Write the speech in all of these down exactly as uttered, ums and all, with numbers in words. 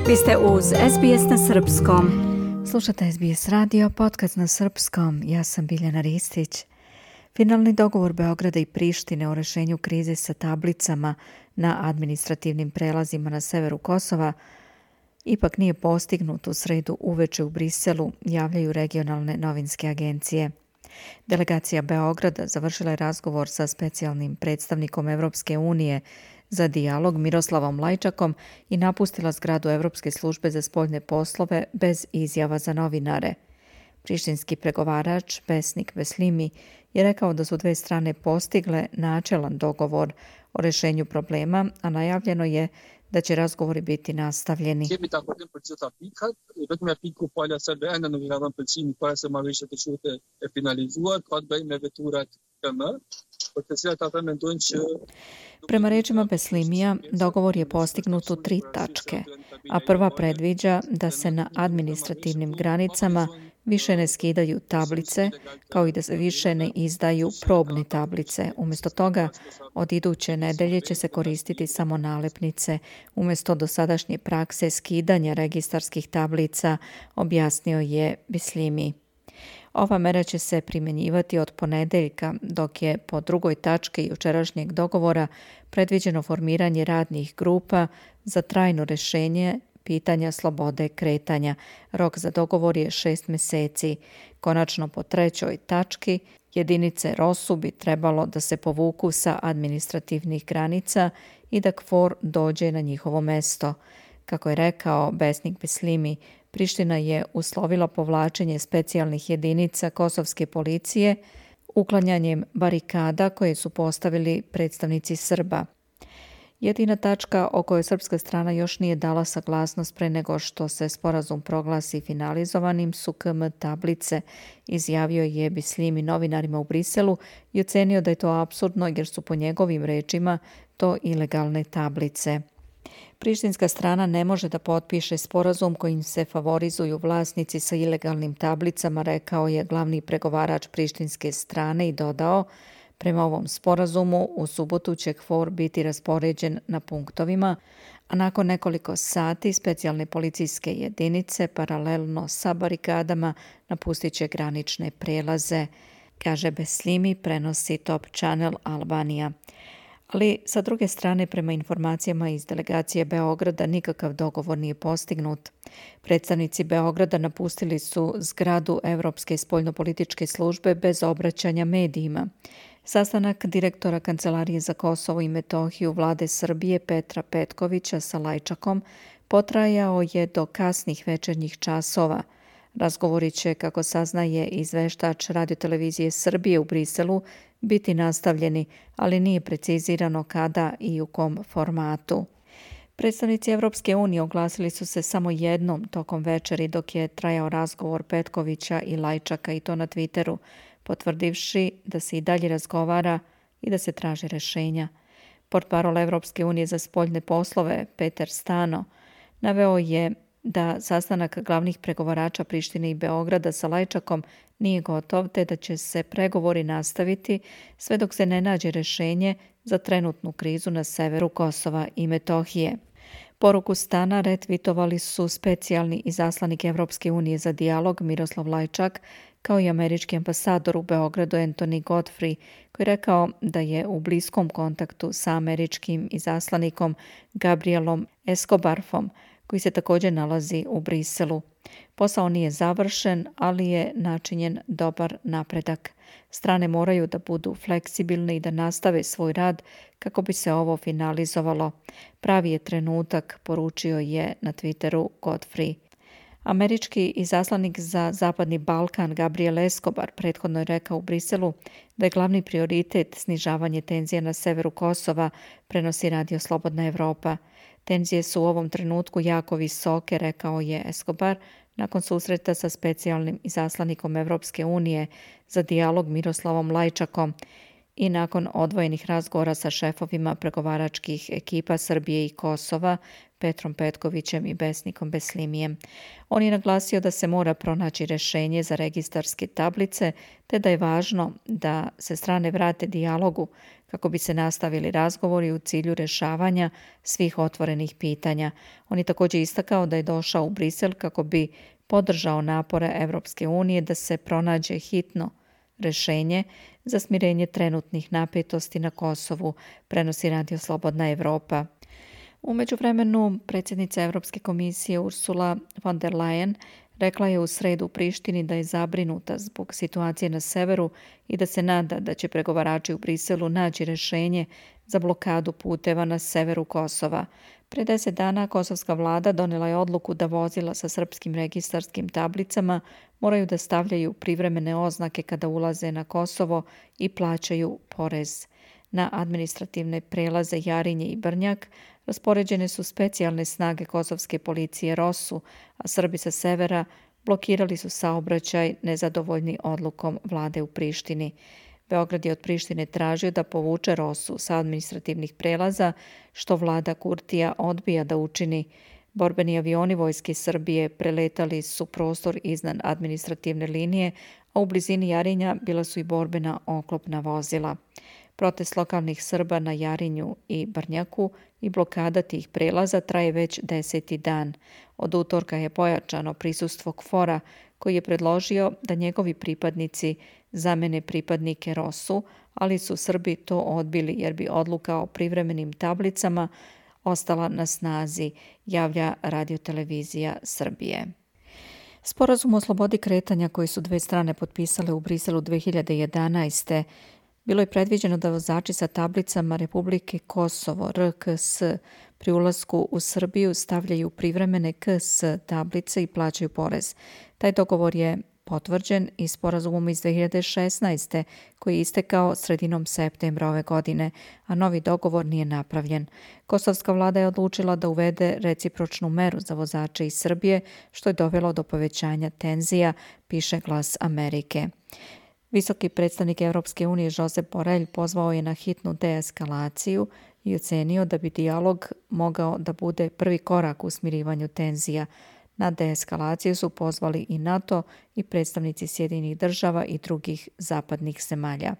Vi ste uz S B S na srpskom. Slušate S B S radio, podcast na srpskom. Ja sam Biljana Ristić. Finalni dogovor Beograda i Prištine o rešenju krize sa tablicama na administrativnim prelazima na severu Kosova ipak nije postignut u sredu uveče u Briselu, javljaju regionalne novinske agencije. Delegacija Beograda završila je razgovor sa specijalnim predstavnikom Evropske unije za dijalog Miroslavom Lajčakom i napustila zgradu Evropske službe za spoljne poslove bez izjava za novinare. Prištinski pregovarač Besnik Beslimi je rekao da su dve strane postigle načelan dogovor o rešenju problema, a najavljeno je da će razgovori biti nastavljeni. Prema rečima Beslimija, dogovor je postignut u tri tačke, a prva predviđa da se na administrativnim granicama više ne skidaju tablice, kao i da se više ne izdaju probne tablice. Umjesto toga, od iduće nedelje će se koristiti samo nalepnice, umjesto dosadašnje prakse skidanja registarskih tablica, objasnio je Beslimi. Ova mera će se primjenjivati od ponedeljka, dok je po drugoj tački jučerašnjeg dogovora predviđeno formiranje radnih grupa za trajno rešenje pitanja slobode kretanja. Rok za dogovor je šest mjeseci. Konačno po trećoj tački jedinice ROSU bi trebalo da se povuku sa administrativnih granica i da KFOR dođe na njihovo mesto. Kako je rekao Besnik Beslimi, Priština je uslovila povlačenje specijalnih jedinica kosovske policije uklanjanjem barikada koje su postavili predstavnici Srba. Jedina tačka o kojoj srpska strana još nije dala saglasnost pre nego što se sporazum proglasi finalizovanim su K M tablice, izjavio je Beslimi novinarima u Briselu i ocenio da je to apsurdno jer su po njegovim rečima to ilegalne tablice. Prištinska strana ne može da potpiše sporazum kojim se favorizuju vlasnici sa ilegalnim tablicama, rekao je glavni pregovarač prištinske strane i dodao: prema ovom sporazumu u subotu će KFOR biti raspoređen na punktovima, a nakon nekoliko sati specijalne policijske jedinice paralelno sa barikadama napustit će granične prelaze, kaže Beslimi, prenosi Top Channel Albanija. Ali sa druge strane, prema informacijama iz delegacije Beograda, nikakav dogovor nije postignut. Predstavnici Beograda napustili su zgradu Evropske spoljnopolitičke službe bez obraćanja medijima. Sastanak direktora Kancelarije za Kosovo i Metohiju vlade Srbije Petra Petkovića sa Lajčakom potrajao je do kasnih večernjih časova. Razgovori će, kako saznaje izveštač radiotelevizije Srbije u Briselu, biti nastavljeni, ali nije precizirano kada i u kom formatu. Predstavnici Evropske unije oglasili su se samo jednom tokom večeri dok je trajao razgovor Petkovića i Lajčaka, i to na Twitteru, potvrdivši da se i dalje razgovara i da se traže rešenja. Portparol Evropske unije za spoljne poslove Peter Stano naveo je da sastanak glavnih pregovarača Prištine i Beograda sa Lajčakom nije gotov, te da će se pregovori nastaviti sve dok se ne nađe rešenje za trenutnu krizu na severu Kosova i Metohije. Poruku Stana retvitovali su specijalni izaslanik Evropske unije za dijalog Miroslav Lajčak, kao i američki ambasador u Beogradu Anthony Godfrey, koji je rekao da je u bliskom kontaktu sa američkim izaslanikom Gabrielom Escobarfom, koji se također nalazi u Briselu. Posao nije završen, ali je načinjen dobar napredak. Strane moraju da budu fleksibilne i da nastave svoj rad kako bi se ovo finalizovalo. Pravi je trenutak, poručio je na Twitteru Godfrey. Američki izaslanik za Zapadni Balkan Gabriel Escobar prethodno je rekao u Briselu da je glavni prioritet snižavanje tenzija na severu Kosova, prenosi Radio Slobodna Evropa. Tenzije su u ovom trenutku jako visoke, rekao je Escobar, nakon susreta sa specijalnim izaslanikom Evropske unije za dijalog Miroslavom Lajčakom i nakon odvojenih razgovora sa šefovima pregovaračkih ekipa Srbije i Kosova, Petrom Petkovićem i Besnikom Beslimijem. On je naglasio da se mora pronaći rješenje za registarske tablice, te da je važno da se strane vrate dijalogu kako bi se nastavili razgovori u cilju rješavanja svih otvorenih pitanja. On je također istakao da je došao u Brisel kako bi podržao napore Evropske unije da se pronađe hitno rješenje za smirenje trenutnih napetosti na Kosovu, prenosi Radio Slobodna Evropa. U međuvremenu, predsjednica Europske komisije Ursula von der Leyen rekla je u sredu u Prištini da je zabrinuta zbog situacije na severu i da se nada da će pregovarači u Briselu naći rješenje za blokadu puteva na severu Kosova. Pre deset dana kosovska vlada donijela je odluku da vozila sa srpskim registarskim tablicama moraju da stavljaju privremene oznake kada ulaze na Kosovo i plaćaju porez. Na administrativne prelaze Jarinje i Brnjak raspoređene su specijalne snage kosovske policije Rosu, a Srbi sa severa blokirali su saobraćaj nezadovoljni odlukom vlade u Prištini. Beograd je od Prištine tražio da povuče Rosu sa administrativnih prelaza, što vlada Kurtija odbija da učini. Borbeni avioni vojske Srbije preletali su prostor iznad administrativne linije, a u blizini Jarinja bila su i borbena oklopna vozila. Protest lokalnih Srba na Jarinju i Brnjaku i blokada tih prelaza traje već deseti dan. Od utorka je pojačano prisustvo KFOR-a koji je predložio da njegovi pripadnici zamene pripadnike Rosu, ali su Srbi to odbili jer bi odluka o privremenim tablicama ostala na snazi, javlja Radiotelevizija Srbije. Sporazum o slobodi kretanja koji su dve strane potpisale u Briselu dve hiljade jedanaeste. Bilo je predviđeno da vozači sa tablicama Republike Kosovo R K S pri ulasku u Srbiju stavljaju privremene K S tablice i plaćaju porez. Taj dogovor je potvrđen i sporazumom iz dve hiljade šesnaeste. koji je istekao sredinom septembra ove godine, a novi dogovor nije napravljen. Kosovska vlada je odlučila da uvede recipročnu meru za vozače iz Srbije, što je dovelo do povećanja tenzija, piše Glas Amerike. Visoki predstavnik Europske unije Josep Borrell pozvao je na hitnu deeskalaciju i ocenio da bi dijalog mogao da bude prvi korak u smirivanju tenzija. Na deeskalaciju su pozvali i NATO i predstavnici Sjedinjenih država i drugih zapadnih zemalja.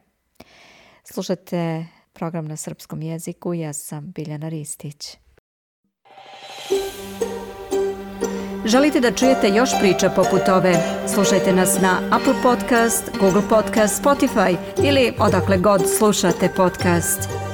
Slušate program na srpskom jeziku, ja sam Biljana Ristić. Želite da čujete još priča poput ove? Slušajte nas na Apple Podcast, Google Podcast, Spotify ili odakle god slušate podcast.